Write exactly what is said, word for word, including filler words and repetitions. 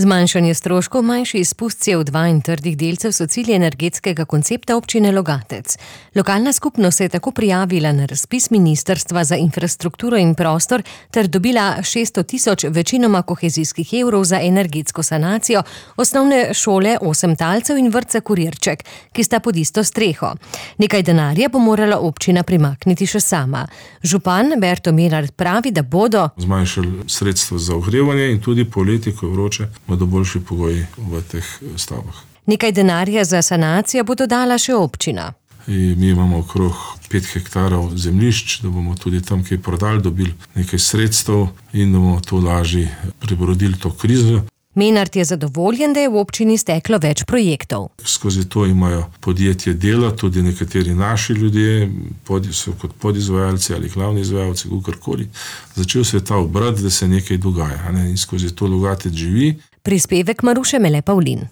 Zmanjšanje stroškov, manjši izpust C O dva in trdih delcev so cilji energetskega koncepta občine Logatec. Lokalna skupnost se je tako prijavila na razpis Ministrstva za infrastrukturo in prostor ter dobila šeststo tisoč večinoma kohezijskih evrov za energetsko sanacijo osnovne šole Osem talcev in vrtca Kurirček, ki sta pod isto streho. Nekaj denarja bo morala občina primakniti še sama. Župan Berto Menart pravi, da bodo zmanjšali sredstva za ogrevanje in tudi poleti, ko je vroče, bodo boljši pogoji v teh stavbah. Nekaj denarja za sanacijo bo dodala še občina. In mi imamo okrog pet hektarov zemljišč, da bomo tudi tam kaj prodali, dobili nekaj sredstev in da bomo to lažje prebrodili to krizo. Menart je zadovoljen, da je v občini steklo več projektov. Skozi to imajo podjetje dela, tudi nekateri naši ljudje, so kot podizvajalci ali glavni izvajalci, kakorkoli. Začel se je ta obrat, da se nekaj dogaja, ne? In skozi to Logatec živi. Prispevek Maruše Mele Pavlin.